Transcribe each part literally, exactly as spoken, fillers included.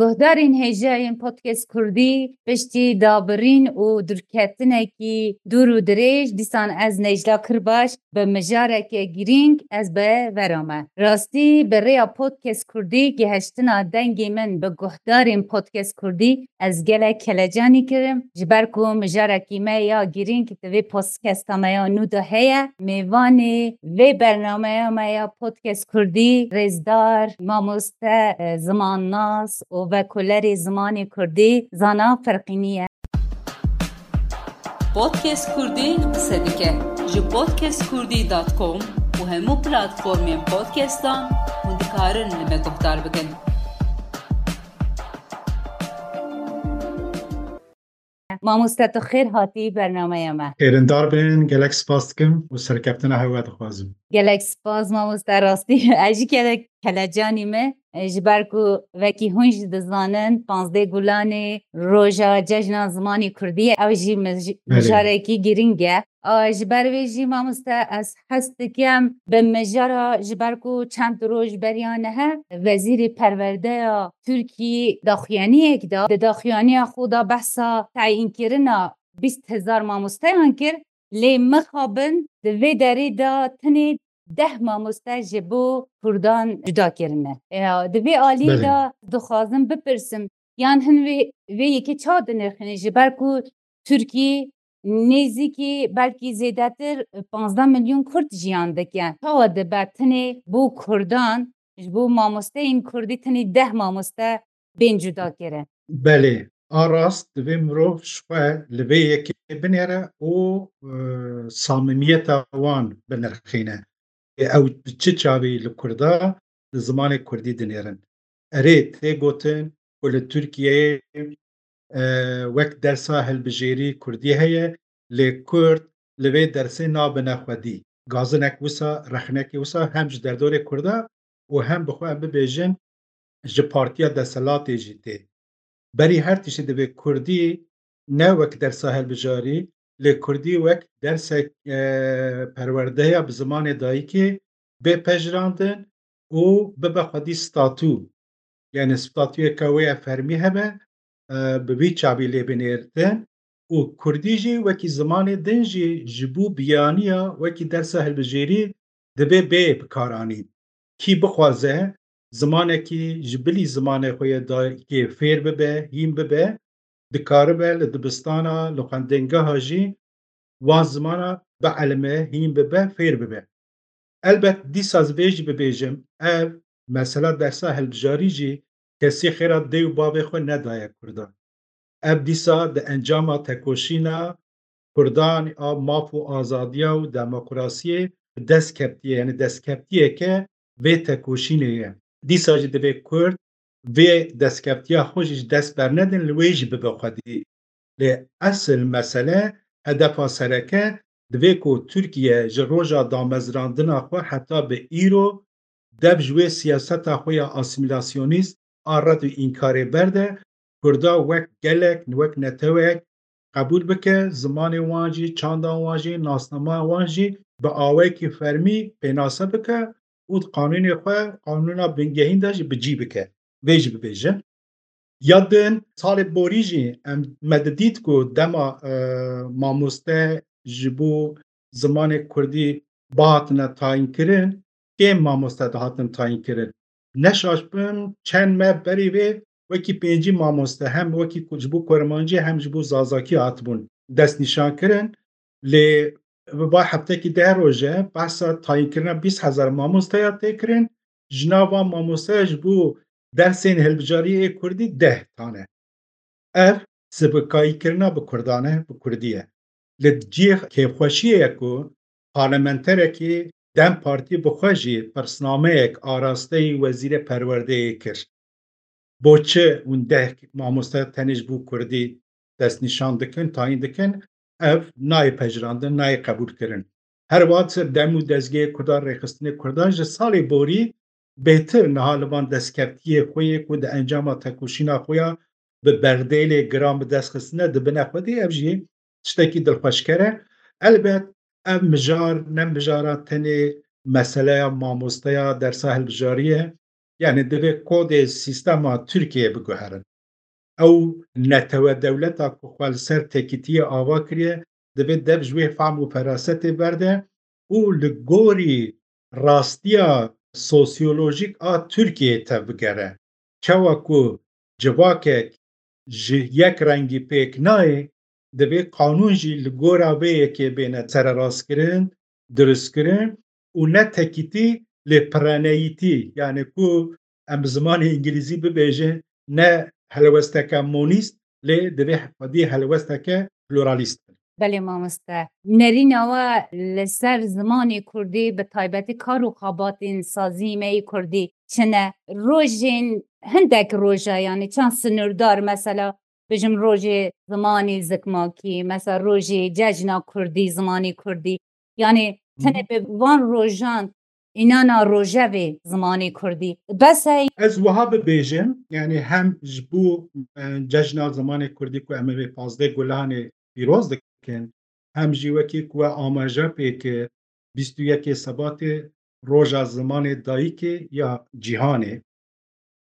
Guhdarên hêja yên Podcast Kurdî, piştî dabirîn û dûrketinekî dûr û dirêj, dîsan ez Necla Kirbaş bi mijareke girîng ez bi vera me. Rastî bi rêya Podcast Kurdî gihiştina dengê min bi guhdarên Podcast Kurdî ez gelek kelecanî kirim. Ji ber ku mijarekî me ya girîng di vê podcasta me ya nû de heye. Mêvanê vê bernameya me ya Podcast Kurdî, rêzdar, mamoste, e, zimannas û vekolerê zimanê Kurdî Zana Ferqînî ye. Podcast Kurdî qise dike. Ji podcast kurdî dot com û hemû platformên podcastan hûn dikarin li me guhdar bikin. Mamoste, tu xêr hatî bernameya me. Xêrindar bin, gelek spas dikim û serkeftina hewe dixwazim. Gelek spas mamoste, rastî ez jî gelek kelecanî me. E, ji ber ku wekî hûn jî dizanin, panzdeh Gulanê roja cejna zimanê Kurdî ye. Ew jî mij-, Belê. mijarekî girîng e. A, ji ber vê jî mamoste ez hez dikim bi mijara, ji ber ku çend roj beriya nihe Wezîrê Perwerdeya Tirkî daxuyaniyek da, di daxuyaniya xwe de behsa tayînkirina bîst hezar mamosteyan kir, lê mixabin di vê derê de tenê deh mamoste ji bo Kurdan cuda kirine. Ya, di vê alî Belê. de dixwazim bipirsim, yan hin vê, vê yekê çawa dinirxîne, ji ber ku Tirkî nêzîkî belkî zêdetir panzdeh milyon Kurd jiyan dike. Çawa dibe tenê bo Kurdan, ji bo mamosteyên Kurdî tenê deh mamoste bên cuda kirin? Belê, a rast divê mirov ji xwe li vê yekê binêre û, e, samimiyeta wan binirxîne. Ê ew bi çi çavî li Kurda, li zimanê Kurdî dinêrin? Erê, tê gotin ku li Tirkiyeyê, e, wek dersa hilbijêrî Kurdî heye, lê Kurd li vê dersê nabine xwedî. Gazinek wisa, rexnekê wisa hem ji derdorê Kurda û hem bi xwe em bibêjin ji partiya desthilatê jî tê. Berî her tiştî divê Kurdî ne wek dersa hilbijarî, lê Kurdî wek dersek, e, perwerdeya bi zimanê dayikê bê pejirandin û bibe xwedî statû. Yani statuyeke wê ya fermî hebe, e, bi vî çavî lê binêrtin û Kurdî jî wekî zimanê din jî ji bo biyaniya wekî dersa hilbijêrî divê bê bikaranîn. Kî bixwaze zimanekî ji bilî zimanê xwe yê dayikê fêr bibe, hîn bibe, dikaribe li dibistana, li xwendingeha jî wan zimana bielime, hîn bibe, fêr bibe. Elbet dîsa ez vê jî bibêjim, ev mesela dersa hilbijarî jî kesî xêra dê û bavê xwe nedaye Kurdan. Ev dîsa di encama tekoşîna Kurdan a maf û azadiya û demokrasiyê bi dest ketiye, yani destkeptiyeke vê tekoşînê ye. Dîsa jî divê Kurd vê destkeftiya xwe jî ji dest bernedin, li wê jî bibe xwedî. Lê esil mesele, hedefa sereke, divê ku Tirkiye ji roja damezrandina xwe heta bi îro dev ji wê siyaseta xwe ya asîmîlasyonîst a red û înkarê berde, Kurda wek gelek, wek netewek qebûl bike, zimanê wan jî, çanda wan jî, nasnama wan jî bi awayekî fermî pênase bike û di qanûnê xwe, qanûna bingehîn de jî bi cî bike. Vê jî bibêjin. Ya din, salê borî jî em, me didît ku dema, e, mamoste ji bo zimanê Kurdî bihatine tayînkirin, kêm mamoste dihatin tayînkirin. Ne şaş bim, çend meh berî vê wekî pêncî mamoste hem wekî ku-, ji bo kurmancî hem ji bo zazakî hatibûn destnîşankirin. Lê bi va heftekî deh roje behsa tayînkirina bîst hezar mamosteya tê kirin. Ji nav van mamosteya ji bo dersên hilbijariyê ê Kurdî deh tane. Ev sibikayîkirina bi Kurdan e, bi Kurdî ye. Li cihê kêfxweşiyê ye ku parlamenterekî DEM Partî bi xwe jî pirsnameyek arasteyî Wezîrê Perwerdeyê kir. Bo çi hûn deh mamoste tenê ji bo Kurdî destnîşan dikin, tayîn dikin? Ev nayê pejirandin, nayê qebûlkirin. Her wiha ser dem û dezgehê Kurdan, rêxistinê Kurdan ji salê borî bêtir niha li van destkeftiyê xwe yê ku di encama tekoşîna xwe ya bi berdêlê giran bi dest xistine dibine xwedî, ev jî tiştekî dilxweşker e. Elbet ev mijar ne mijara tenê meseleya mamosteya dersa hilbijariyê ye. Yani divê kodê sîstema Tirkiyeyê biguherin. Ew netewe dewleta ku xwe li ser tekîtiyê ava kiriye, divê dev ji wê fehm û ferasetê berde û li gorî rastiya sosyolojîk a Tirkiyeyê tevbigere. Çawa ku civakek ji yek rengî pêk nayê, divê qanûn jî li gora vê yekê bêne sererastkirin, dirustkirin û ne tekîtî lê pireneyîtî, yani ku em bi zimanê îngilîzî bibêjin, ne helwesteke monîst, lê divê xwedî helwesteke pluralîst bin. Belê mamoste. Nerîna we li ser zimanê kurdî, bi taybetî kar û xebatên sazî me yê kurdî çi ne? Rojên hindek roja, yani çend sinûrdar, mesela bijim rojê zimanê zikmakî, mesela rojê cejna kurdî, zimanê kurdî. Yani tenê bi van rojan înana rojevê zimanê kurdî. Bes e. Ez wiha bibêjim, yani hem ji bo, e, cejna zimanê kurdî ku em ê vê pazdeh Gulanê pîroz dikin, hem jî wekî ku we amaje pê kir, bîst û yekê Sebatê roja zimanê dayikê ya cîhanê.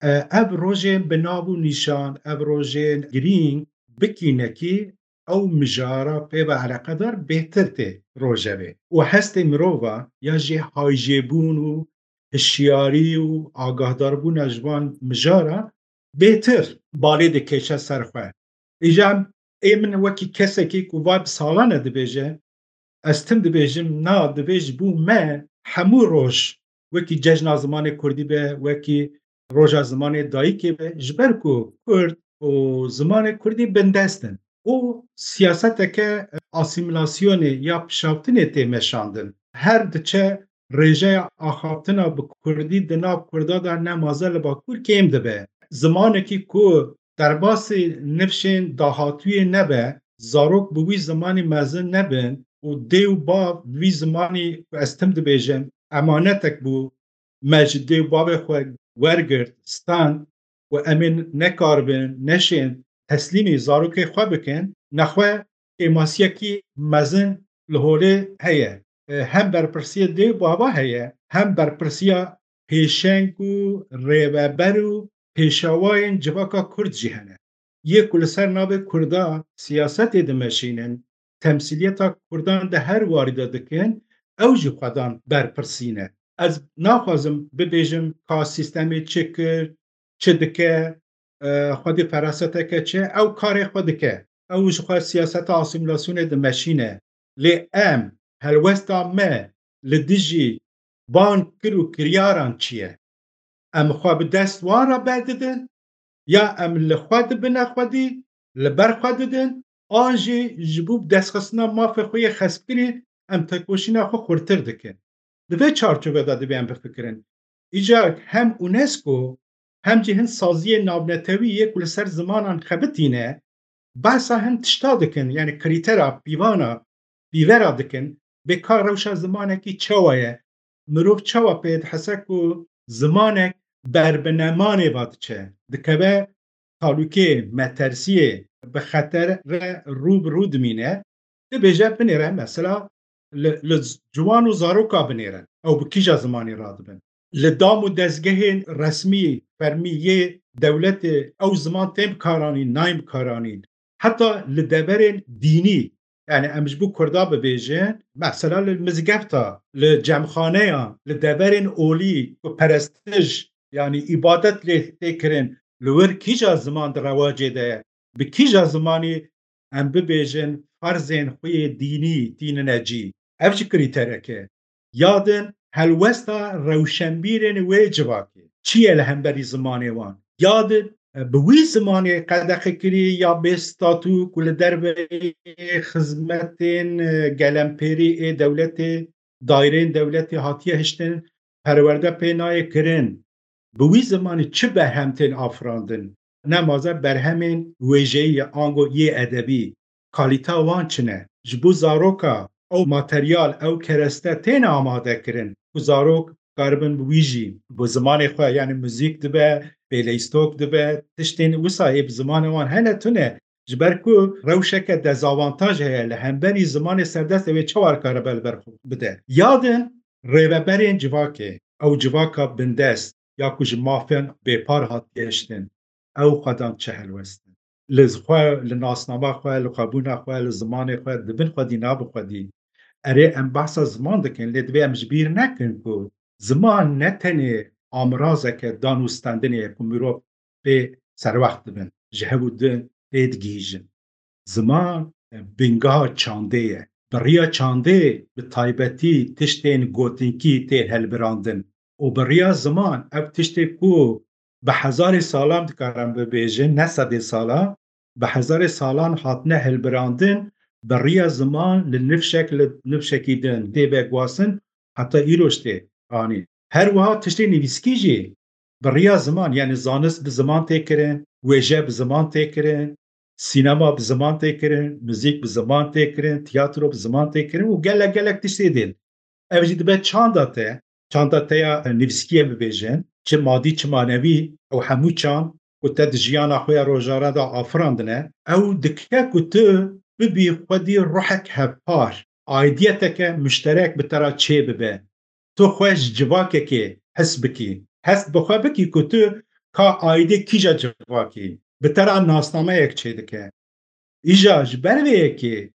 E, ev rojên bi nav û nîşan, ev rojên girîng bikînekî ew mijara pê ve eleqedar bêhtir tê rojevê. Û hestê mirova ya jê hayjêbûn û hişyarî û agahdarbûna ji van mijara bêhtir balê dikêşe ser xwe. Îja ê min wekî kesekî ku va bi salan e dibêje, ez tim dibêjim, na, divê ji bo me hemû roj wekî cejna zimanê kurdî be, wekî roja zimanê dayikê be, ji ber ku kurd û zimanê kurdî bindest in û siyaseteke asîmîlasyonê ya pişaftinê tê meşandin. Her diçe rêjeya axaftina bi kurdî di nav kurda de ne maze li Bakur kêm dibe. Zimanekî ku derbasî nifşên dahatûyê nebe, zarok bi wî zimanî mezin nebin û dê û bav bi wî zimanî ku ez tim dibêjim, emanetek bû, me ji dê û bavê xwe wergirt, stand û em ê nekaribin, neşên teslîmî zarokê xwe bikin, nexwe kêmasiyekî mezin li holê heye. E, hem berpirsiyê dê û bava heye, hem berpirsiya pêşeng û rêveber û pêşawayên civaka kurd jî hene. Yê ku li ser navê kurda siyasetê dimeşînin, temsîliyeta kurdan di her warî de dikin, ew jî xwedan berpirsî ne. Ez naxwazim bibêjim ka sîstemê çi kir, çi dike, e, xwedî feraseteke çi, ew karê xwe dike. Ew ji xwe siyaseta asîmîlasyonê dimeşîne. Lê em, helwesta me li dijî van kir û kiryaran çi ye? Em xwe bi dest wan re berdidin, ya em li xwe dibine xwedî, li ber xwe didin, an jî ji bo bi destxistina mafê xwe yê xespkirî em tekoşîna xwe xurtir dikin. Di vê çarçovê de divê em bifikirin. Îcar hem UNESCO hem jî hin saziyên navnetewî yê ku li ser zimanan xebitîne, behsa hin tişta dikin, yani krîtera pîvana, pîvera dikin, bê ka rewşa zimanekî çawa ye, mirov çawa pê dihese ku zimanek ber bi nemanê ve diçe, dikeve talûkê, metersiyê, bi xetere rû bi rû dimîne, dibêje binêre mesela li, li ciwan û zaroka binêre, ew bi kîja zimanî radibin. Li dam û dezgehên resmî, fermî yê dewletê ew ziman tên bikaranîn, nayên bikaranîn. Heta li deverên dînî, yani em ji bo kurda bibêjin, mesela li mizgefta, li cemxaneya, li deverên olî ku perestij, yani îbadet lê tê kirin, li wir kîja ziman di rewacê de ye? Bi kîja zimanî em bibêjin ferzên xwe yê dînî tînine cî? Ev jî krîterek e. Ya din helwesta rewşenbîrên wê civakê çi ye li hemberî zimanê wan? Ya din, e, bi wî zimanê qedexekirî ya bê statû ku li derveyê xizmetên, e, gelempêrî ê dewletê, daîreyên dewletê hatiye hiştin, perwerde pê nayê kirin, bi wî zimanî çi berhem tên afirandin? Nemaze berhemên wêjeyî ye, ango yê edebî, kalîteya wan çi ne? Ji bo zaroka ew materyal, ew kereste têne amade kirin ku zarok karibin bi wî jî, bi zimanê xwe, yani muzîk dibe, pêleyîstok dibe, tiştên wisa ê bi zimanê wan hene tune. Ji ber ku rewşeke dezavantaj heye li hemberî zimanê serdest, ew ê çawa karibe li ber xwe bide? Ya din rêveberên civakê, ew civaka bindest, ya ku ji mafên bêpar hatiye hiştin, ew xwedan çi helwest in? Li xwe, li nasnama xwe, li xwebûna xwe, li zimanê xwe, di bin xwedî, na bi xwedî. Erê, em behsa ziman dikin, lê divê em ji bîr nekin ku ziman ne tenê amirazeke dan û standinê ye ku mirov pê serwext dibin, ji hev û din tê digihîjin. Ziman, e, bingeha çandê ye. Bi riya çandê, bi taybetî tiştên gotinkî tê hilbirandin. Û bi riya ziman, ev tiştê ku bi hezarê salan, dikarin bibêjin, ne sedê salan, bi hezarê salan hatine hilbirandin, bi riya ziman li nifşek, li nifşekî din tê veguhastin, heta îroj tê anî. Her wiha tiştê nivîskî jî bi riya ziman, yani zanist bi ziman tê kirin, wêje bi ziman tê kirin, sînema bi ziman tê kirin, muzîk bi ziman tê kirin, tiyatro bi ziman tê kirin û gelek gelek tiştê din. Ev jî dibe çanda te, çanda te ya nivîskiyê bibêjin, çi madî çi manevî, ew hemû çand ku te di jiyana xwe ya rojane de afirandine, ew dike ku tu bibî xwedî ruhek hevpar, aidiyeteke muşterek bi te re çê bibe. Tu xwe ji civakekê his bikî. Hest bi xwe bikî ku tu ka aîdê kîja civakî. Bi te re nasnameyek çêdike. Îja ji ber vê yekê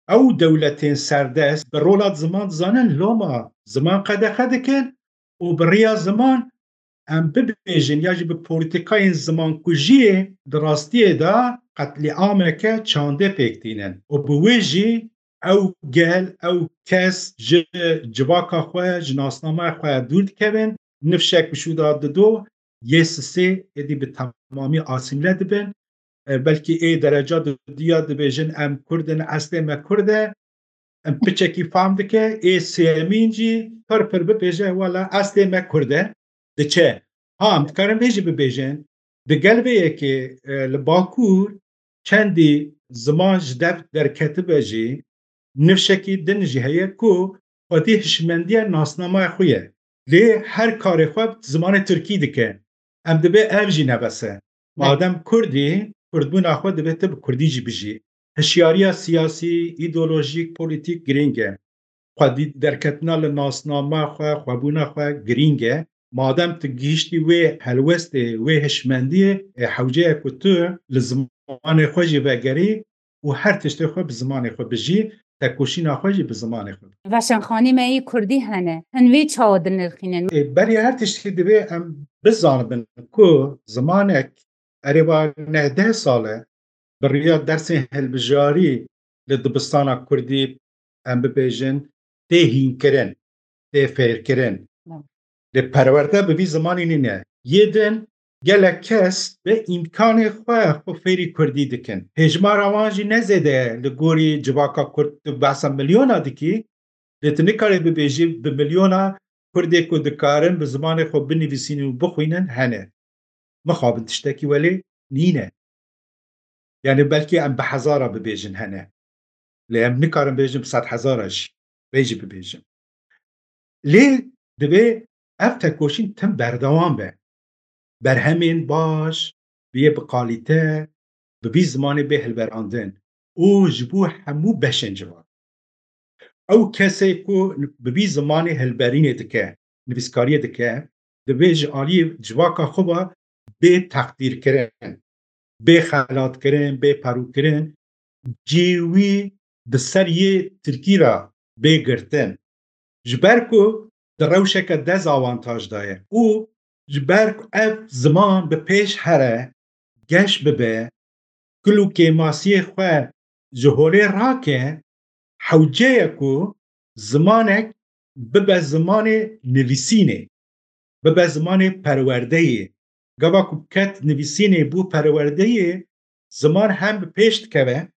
ew dewletên serdest bi rola ziman dizanin loma ziman qedexe dikin û bi riya ziman em bibêjin ya jî bi polîtîkayên zimankujiyê di rastiyê de qetlîameke çandê pêk tînin û bi wê jî ew gel, ew kes ji civaka xwe, ji nasnameya xwe dûr dikevin, nifşek bi şû de dido, yê sisê êdî bi temamî asîmle dibin. E, belkî ê dereca dudiya dibêjin, em Kurd in, eslê me Kurd e. Em piçekî fam dike, ê sêyemîn jî pir pir bibêje, wela eslê me Kurd e. Diçe. Ha, em dikarin vê jî bibêjin, di gel vê yekê, e, li Bakur çendî ziman ji dev derketibe jî, nifşekî din jî heye ku xwedî hişmendiya nasnamaya xwe ye. Lê her karê xwe bi zimanê tirkî dike. Em dibê ev jî nebes e. Ne. Madem Kurdî, Kurdbûna xwe divê tu bi Kurdî jî bijî. Hişyariya siyasî, îdeolojîk, polîtîk girîng e. Xwedî derketina li nasnama xwe, xwebûna xwe girîng e. Madem tu gihîştî wê helwestê, wê hişmendiyê, e, hewce ye ku tu li zimanê xwe jî vegerî û her tiştê xwe bi zimanê xwe bijî, tekoşîna xwe jî bi zimanê xwe bike. Veşanxanî me yî kurdî hene. Hin vî çawa dinirxînin? E, berî her tiştî divê em bizanibin ku zimanek erê va neh deh sal e bi riya dersên hilbijarî li dibistana kurdî, em bibêjin, tê hînkirin, tê fêrkirin. Lê perwerde bi vî zimanî nîne. Yê din gelek kes bi îmkanê xwe xwe fêrî kurdî dikin. Hêjmara wan jî ne zêde ye li gorî civaka kurd, tu behsa milyona dikî, lê tu nikarî bibêjî bi milyona kurdê ku dikarin bi zimanê xwe binivîsînin û bixwînin hene. Mixabin tiştekî welê nîne. Yani belkî em bi hezara bibêjin hene. Lê em nikarin bêjin bi sed hezara jî. Vê jî bibêjin. Lê divê ev tekoşîn tim berdewam be. Berhemên baş, biyê bi kalîte, bi vî zimanê bê hilberandin û ji bo hemû beşên civan. Ew kesê ku bi vî zimanê hilberînê dike, nivîskariyê dike, divê ji aliyê civaka xwe ve bê teqdîrkirin, bê xelatkirin, bê perûkirin, cihê wî bi ser yê tirkî re bê girtin. Ji ber ku di rewşeke dezawantaj de ye û ji ber ku ev ziman bi pêş here, geş bibe, kul û kêmasiyê xwe ji holê rake, hewce ye ku zimanek bibe zimanê nivîsînê, bibe zimanê perwerdeyê. Gava ku ket nivîsînê bû perwerdeyê, ziman hem bi pêş dikeve,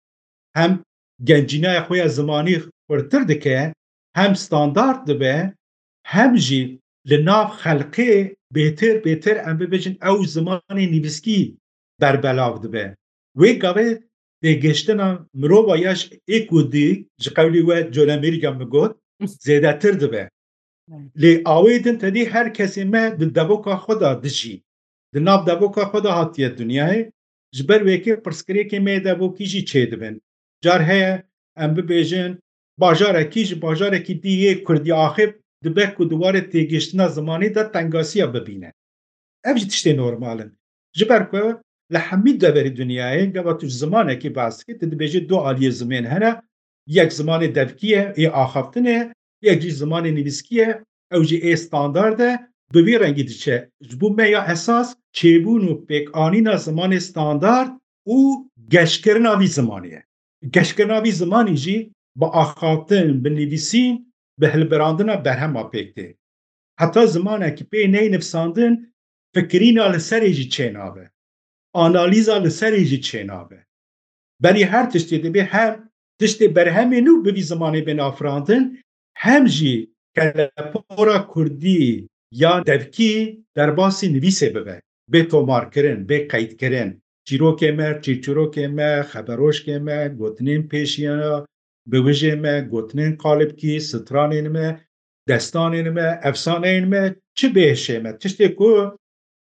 hem gencînaya xwe ya zimanî xurtir dike, hem standart dibe, hem jî li nav xelkê bêtir bêtir, em bibêjin, ew zimanê nivîskî berbelav dibe. Wê gavê têgihiştina mirova ya ji ê ku dî, ji qewlî we Colemêrîga min got, zêdetir dibe. Lê awê din tedî her kesê me di devoka xwe de dijî. Di nav devoka xwe de hatiye dinyayê. Ji ber wê yekê pirsgirêkê me yê devokî jî çêdibin. Car heye em bibêjin, bajarekî ji bajarekî dî yê kurdî axê dibe ku di warê têgihiştina zimanî de tengasiya bibîne. Ev jî tiştê normal in. Ji ber ku li hemî deverê dinyayê gava tu ji zimanekî behs dikî, tu dibêjî du aliyê zimên hene, yek zimanê devkî ye, ê axaftinê, yek jî zimanê nivîskî ye, ew jî ê standard e, bi vî rengî diçe. Ji bo me ya esas çêbûn û pêkanîna zimanê standard û geşkirina vî zimanê ye. Geşkirina vî zimanî jî bi axaftin, bi nivîsîn, bi hilbirandina berhema pêk tê. Heta zimanekî pê neyê nivîsandin, fikirîna li serê jî çênabe. Analîza li serê jî çênabe. Berî her tiştê dibê hem tiştê berhemê nû bi vî zimanê bên afirandin, hem jî kelepora kurdî ya devkî derbasî nivîsê bibe, bê tomarkirin, bê qeydkirin. Çîrokê me, çîrçîrokê me, xeberoşkê me, gotinên pêşiya, biwijê me, gotinên qalibkî, stranên me, destanên me, efsaneyên me, çi bêhişê me, tiştê ku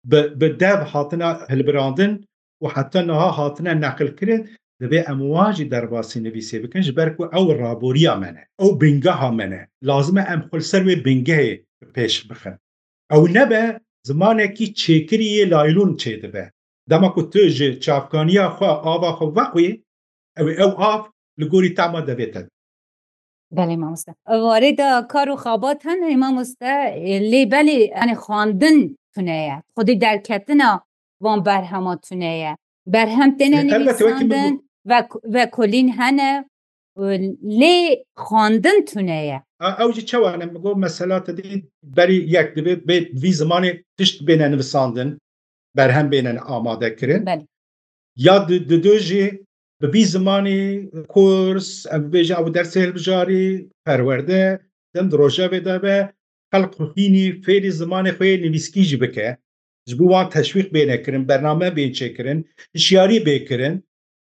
bi, bi dev hatine hilbirandin û heta niha hatine neqilkirin, divê em wan jî derbasî nivîsê bikin, ji ber ku ew raboriya me ne, ew bingeha me ne. Lazim e em xwe li ser wê bingehê pêş bixin. Ew nebe zimanekî çêkirî yê laylûn çêdibe. Dema ku tu ji çavkaniya xwe ava xwe veqwî, ew ê ew av li gorî tema devê te. Belê mamoste. Warê de kar û xabat hene mamoste, lê belê, yani xwandin tune ye. Xwedî derketina van berhema tune ye. Berhem têne Elbette, wekî min nivîsandin, ve, vekolîn hene, lê xwandin tune ye. A, ew jî çawa ne? Min got mesela te dî berî yek divê bê vî zimanê tişt bêne nivîsandin, berhem bêne amade kirin. Belê. Ya di, di du jî bi vî zimanî kurs, em bibêjin ew dersê hilbijarî, perwerde, din di rojevê de be, xelq xwînî fêrî zimanê xwe yê nivîskî jî bike. Ji bo wan teşwîq bêne kirin, bername bên çêkirin, hişyarî bê kirin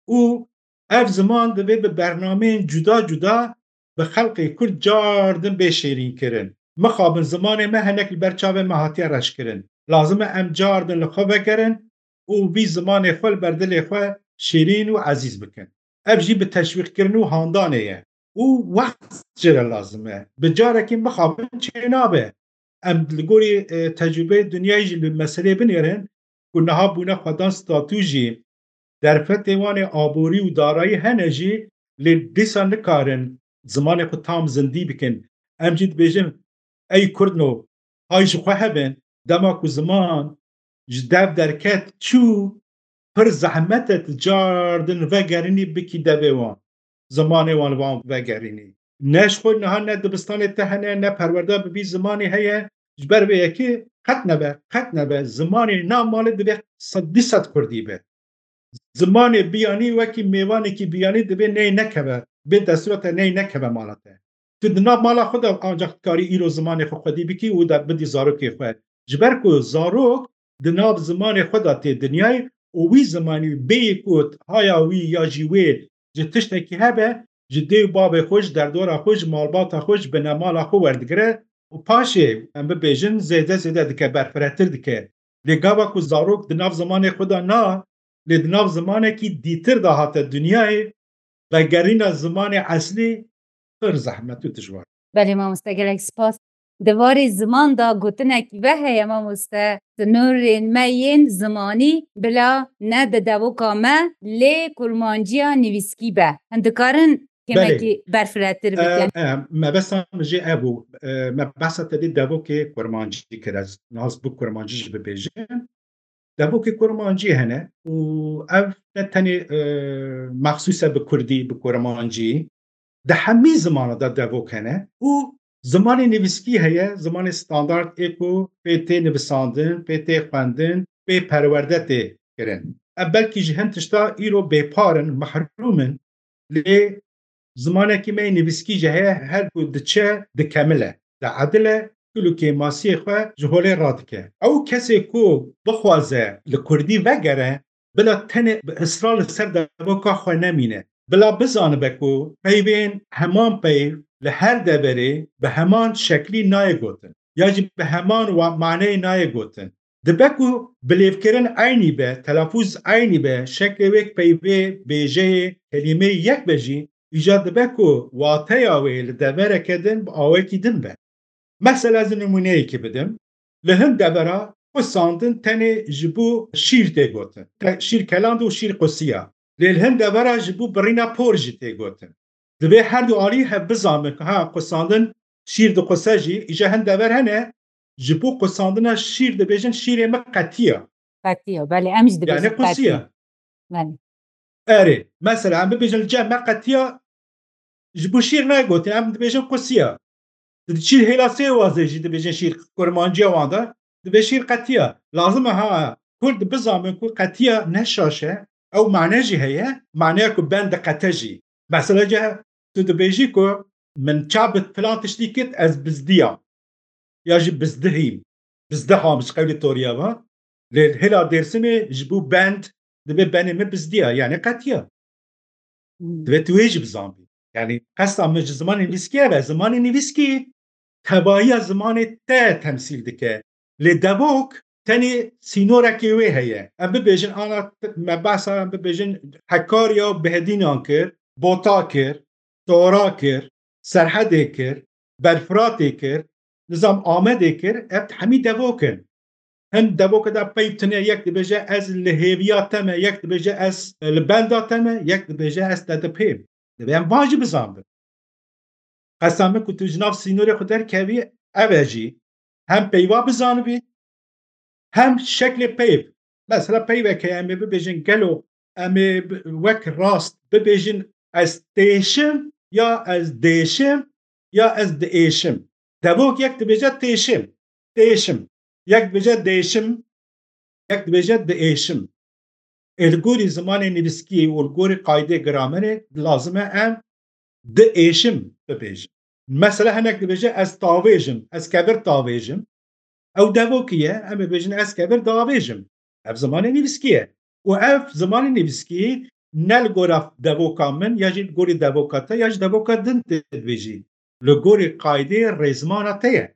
û ev ziman divê bi bernameyên cuda cuda bi xelqê Kurd cardin bê şêrînkirin. Mixabin zimanê me hinek li ber çavê me hatiye reşkirin. Lazim e em cardin li xwe vegerin û vî zimanê xwe li ber dilê xwe şêrîn û ezîz bikin. Ev jî bi teşwîqkirin û handanê ye û wext jê re lazim e. Bi carekî mixabin çênabe. Em li gorî, e, tecrûbeyê dinyayê jî li meseleyê binêrin ku niha bûne xwedan statû jî, derfetê wan ê aborî û darayî hene jî, lê dîsa nikarin zimanê xwe tam zindî bikin. Em jî dibêjin, ey Kurdno, hay ji xwe hebin, dema ku ziman ji dev derket çû, pir zehmet e tu cardin vegerînî bikî devê wan, zimanê wan li wan vegerînî. Ne ji xwe niha ne dibistanê te hene, ne perwerda bi vî zimanî heye, ji ber vê yekê qet nebe, qet nebe, zimanê nav malê divê sed, du sed kurdî be. Zimanê biyanî wekî mêvanekî biyanî divê ney nekeve, bê destûra te ney nekeve mala te. Tu di nav mala xwe de ancaq dikarî îro zimanê xwe xwedî bikî û de bidî zarokê xwe. Ji ber ku zarok di nav zimanê xwe de tê dinyayê û wî zimanî bêyî ku haya wî ya jî wê ji tiştekî hebe, ji dê û bavê xwe, ji derdora xwe, ji malbata xwe, ji binemala xwe werdigire û paşê, em bibêjin, zêde zêde dike, berfiretir dike. Lê gava ku zarok di nav zimanê xwe de na, lê di nav zimanekî dîtir de hate dinyayê, vegerîna zimanê eslî pir zehmet û dijwar. Belê mamoste, gelek spas. Di warê ziman de gotinekî ve heye mamoste, sinorên me yên zimanî bila ne di devoka me lê kurmanciya nivîskî be. Him dikarin kêmekî Belê. berfiretir E, bikin? e, mebesta min jê ev bû. E, me behsa te dê devokê kurmancî kir. Ez nas bi kurmancî jî bibêjim. Devokê kurmancî hene û ev ne tenê, e, mexsûs e bi kurdî, bi kurmancî. Di hemî zimana de devok hene û zimanê nivîskî heye, zimanê standard ê ku pê tê nivisandin, pê tê xwendin, pê perwerde tê kirin. Ev belkî ji hin tişta îro bêpar in, mehrûm in, lê zimanekî me yê nivîskî jî heye, her ku diçe dikemile, diedile, kul û kêmasiyê xwe ji holê radike. Ew kesê ku bixwaze li kurdî vegere, bila tenê bi israr li ser devoka xwe nemîne. Bila bizanibe ku peyvên heman peyv li her deverê bi heman şeklî nayê gotin, ya jî bi heman wa-, maneyê nayê gotin. Dibe ku bilêvkirin eynî be, telafûz eynî be, şeklê wê peyvê, bêjeyê, kelîmeyê yek be jî, îcar dibe ku wateya wê li devereke din bi awekî din be. Mesela ez nimûneyekî bidim. Li hin devera qusandin tenê ji bo şîr tê gotin. Şîr keland û şîr qusiya. Lê li hin devera ji bo birîna por jî tê gotin. Divê her du alî hev bizanin ku ha qusandin şîr diquse jî, îja hin dever hene, ji bo qusandina şîr dibêjin şîrê min qetiya. Qetiya, belê, em jî dibêjin. Yani qusiya. Belê. Erê, mesela em bibêjin li cem me qetiya, ji bo şîr negotin, em dibêjin qusiya. Tu diçî hêla Sêwazê jî dibêjin şîr, kurmanciya wan de dibê şîr qetiya. Lazim e ha Kurd bizanin ku qetiya ne şaş e, ew mane jî heye, maneya ku ben diqete jî. Mesela ce tu dibêjî ku min çav bi filan tiştî kit, ez bizdiyam. Ya jî bizdihîm. Bizdiham ji qewlê Toriya ve. Lê hêla Dêrsimê ji bo bend dibê benê min bizdiya, yani qetiya. Hmm. Divê tu wê jî bizanbî. Yani qesta min ji zimanê nivîskî ev e. Zimanê nivîskî tevahiya zimanê te temsîl dike. Lê devok tenê sînorekê wê heye. Em bibêjin ana me behsa em bibêjin Hekariya û Behedînan kir, Bota kir, Tora kir, Serhedê kir, Belfiratê kir, nizam Amedê kir, ev hemî devok in. Hin devoke de peyv tune, yek dibêje ez li hêviya te me, yek dibêje ez li benda te me, yek dibêje ez te dipêm. Divê em van jî bizanbin. Qesta min ku tu ji nav sînorê xwe derkevî, ev e jî. Hem peyva bizanibî, hem şeklê peyv. Mesela peyvek heye, em ê bibêjin gelo em ê wek rast bibêjin ez têşim ya ez dêşim ya ez diêşim. Devok yek dibêje têşim, têşim. Yek dibêje dêşim, yek dibêje diêşim. Ê li gorî zimanê nivîskî û li gorî qaydê gramerê lazim e em diêşim bibêjin. Mesela hinek dibêje ez tavêjim, ez kevir tavêjim. Ew devokî ye, em ê bêjin ez kevir davêjim. Ev zimanê nivîskî ye. Û ev zimanê nivîskî ne li gora devoka min, ya jî li gorî devoka te, ya jî devoka din tê divêjî. Li gorî qaydê rêzimana te ye.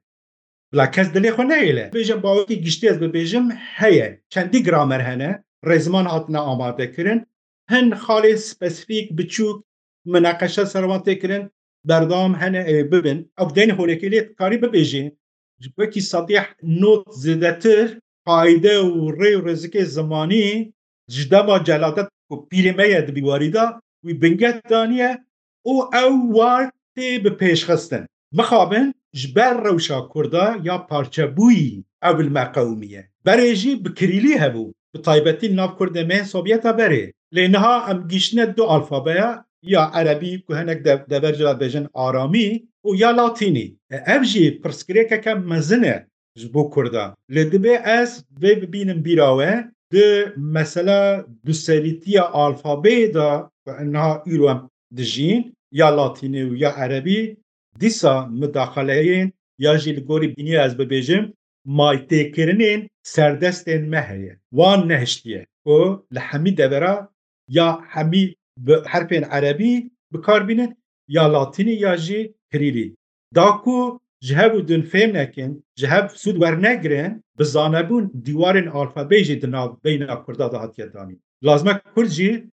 Bila kes dilê xwe nehêle. Bêje bawekî giştî ez bibêjim, heye. Çendî gramer hene, rêziman hatine amadekirin. Hin xalê spesîfîk, biçûk, mineqeşe ser wan tê kirin, berdewam hene, ê bibin. Ew deyn holekê lê karî bibêjî. Wekî sedî not zêdetir qayde û rê û rêzikê zimanî ji dema celadet ku pîrê me ye di bîwarî de wî binget daniye û ew war tê bi pêş xistin. Mixabin ji ber rewşa Kurda ya parçebûyî ew li me qewimiye. Berê jî bi kirîlî hebû, bi taybetî li nav Kurdê me yên Sovyeta berê. Lê niha em gihîştine du alfabeya, ya erebî ku hinek de-, dever jî dibêjin aramî û ya latînî. E, ev jî pirsgirêkeke mezin e ji bo Kurda. Lê divê ez vê bibînim bîra we, di mesela duserîtiya alfabeyê de ku niha îro em dijîn, ya latînî û ya erebî, dîsa mudaxaleyên ya jî li gorî bîniya ez bibêjim, maytêkirinên serdestên me heye. Wan nehiştiye ku li hemî devera ya hemî bi herfên erebî bi kar bînin, ya latînî ya jî kirîlî. Da ku ji hev û din fêm nekin, ji hev sûd wernegirin, bi zanebûn dîwarên alfabeyê jî di nav beyna Kurda de hatiye danîn. Lazim e Kurd jî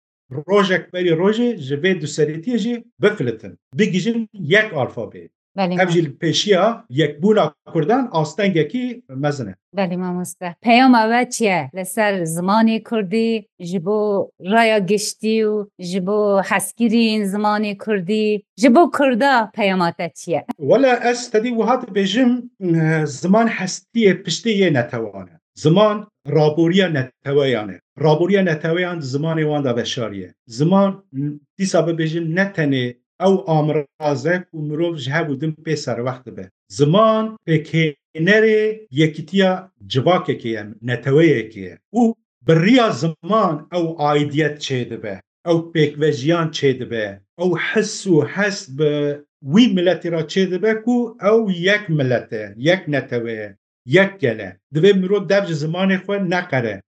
rojek berî rojê ji vê duserîtiyê jî bifilitin, bigihîjin yek alfabeyê. Belê, ev jî li pêşiya yekbûna Kurdan astengekî mezin e. Belê mamoste. Peyama we çi ye li ser zimanê Kurdî, ji bo raya giştî û ji bo hezkirîn zimanê Kurdî, ji bo Kurda peyama te çi ye? Wela ez tedî wiha dibêjim, e, ziman hestiyê piştê yê netewan e. Ziman raboriya neteweyan e. Raboriya neteweyan di zimanê wan de veşarî ye. Ziman, dîsa bibêjin, ne tenê ew amiraz e ku mirov ji hev û din pê serwext dibe. Ziman pêkhênerê yekîtiya civakekê ye, neteweyekê ye. Û bi riya ziman ew aidiyet çêdibe, ew pêkvejiyan çêdibe, ew his û hest bi wî miletî re çêdibe ku ew yek milet e, yek netewe ye, yek gel e. Divê mirov dev ji zimanê xwe neqere.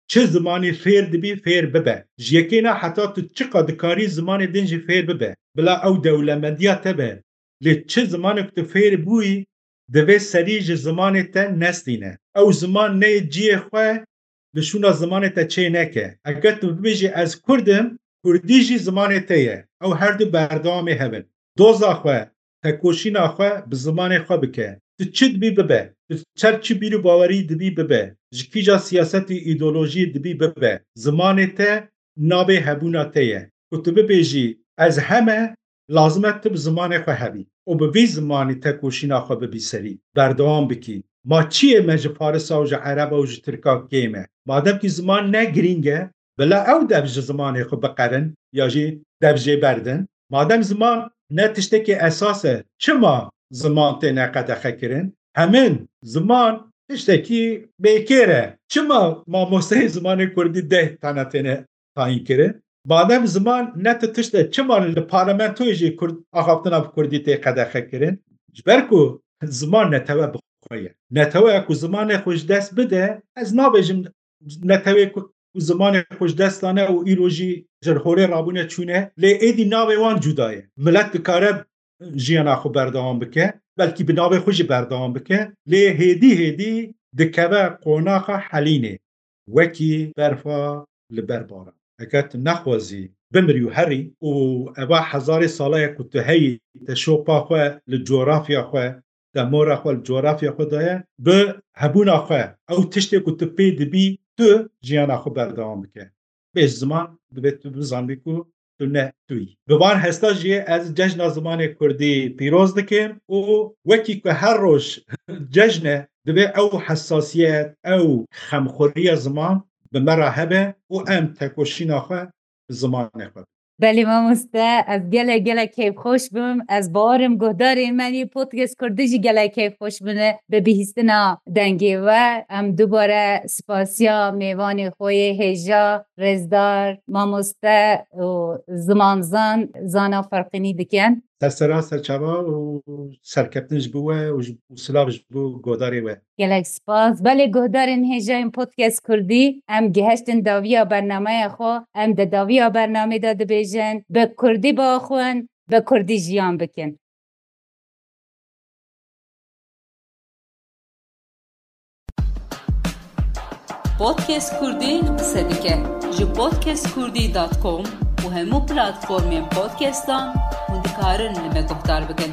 Çi zimanî fêr dibî, fêr bibe. Ji yekê na heta tu çiqa dikarî zimanê din jî fêr bibe. Bila ew dewlemendiya te be. Lê çi zimanek tu fêr bûyî, divê serî ji zimanê te nestîne. Ew ziman neyê cihê xwe li şûna zimanê te çê neke. Eger tu bibêjî ez Kurd im, Kurdî jî zimanê te ye. Ew her du berdewamê hev in. Doza xwe, tekoşîna xwe bi zimanê xwe bike. Tu çi dibî bibe, tu ser çi bîr û bawerî dibî bibe, ji kîja siyaset û îdeolojiyê dibî bibe, zimanê te navê hebûna te ye. Ku tu bibêjî, ez heme, lazim e tu bi zimanê xwe hebî û bi vî zimanî tekoşîna xwe bibî serî, berdewam bikî. Ma çi yê me ji Farisa û ji Ereba û ji Tirka kêm e? Madem kî ziman ne girîng e, bila ew dev ji zimanê xwe biqerin ya jî dev jê berdin. Madem ziman ne tiştekî esas e, çima ziman têne qedexe kirin? Hemin ziman tiştekî bêkêr e. Çima mamosteyê zimanê kurdî deh tane têne tayîn kirin? Madem ziman ne ti tişt e, çima li parlamentoyê jî kurd, axaftina bi kurdî tê qedexe kirin? Ji ber ku ziman netewe bi xwe ye. Neteweya ku zimanê xwe ji dest bide, ez nabêjim netewê ku, ku zimanê xwe ji dest dane û îro jî ji holê rabûne çûne, lê êdî navê wan cuda ye. Milet dikare jiyana xwe berdewam bike, belkî bi navê xwe jî berdewam bike, lê hêdî hêdî dikeve qonaxa helînê, wekî berfa li ber baran. Heger tu nexwazî bimirî û herî û eva hezarê sala ye ku tu heyî, te şopa xwe li coğrafya xwe, te mora xwe li coğrafya xwe daye, bi hebûna xwe, ew tiştê ku tu pê dibî, tu jiyana xwe berdewam bike. Bê ziman, divê tu bizanbî ku tu ne tu yî. Bi van hesta jî ez Cejna Zimanê Kurdî pîroz dikim û wekî ku her roj cejn e, divê ew hesasiyet, ew xemxweriya ziman bi me re hebe û em tekoşîna xwe bi zimanê xwe bikin. Belê mamoste, ez gelek gelek keyfxweş bim. Ez bawerim guhdarên me yê podcast kurdî jî gelek keyfxweş bine bi bihîstina dengê we. Em dubare spasiya mêvanê xwe yê hêja, rêzdar, mamoste û zimanzan Zana Ferqînî dikin. Ser sera, ser çava û serkeftin ji bo we û ji, û silav ji bo godarê we. Gelek spas. Belê guhdarên hêjayên podcast kurdî, em gihiştin dawiya bernameya xwe. Em di dawiya bernamê de dibêjin, bi kurdî biaxwin, bi kurdî jiyan bikin. Podcast Kurdî qise dike. Ji podcast kurdî dot com û hemû platformên podcastan hûn dikarin li me guhdar bikin.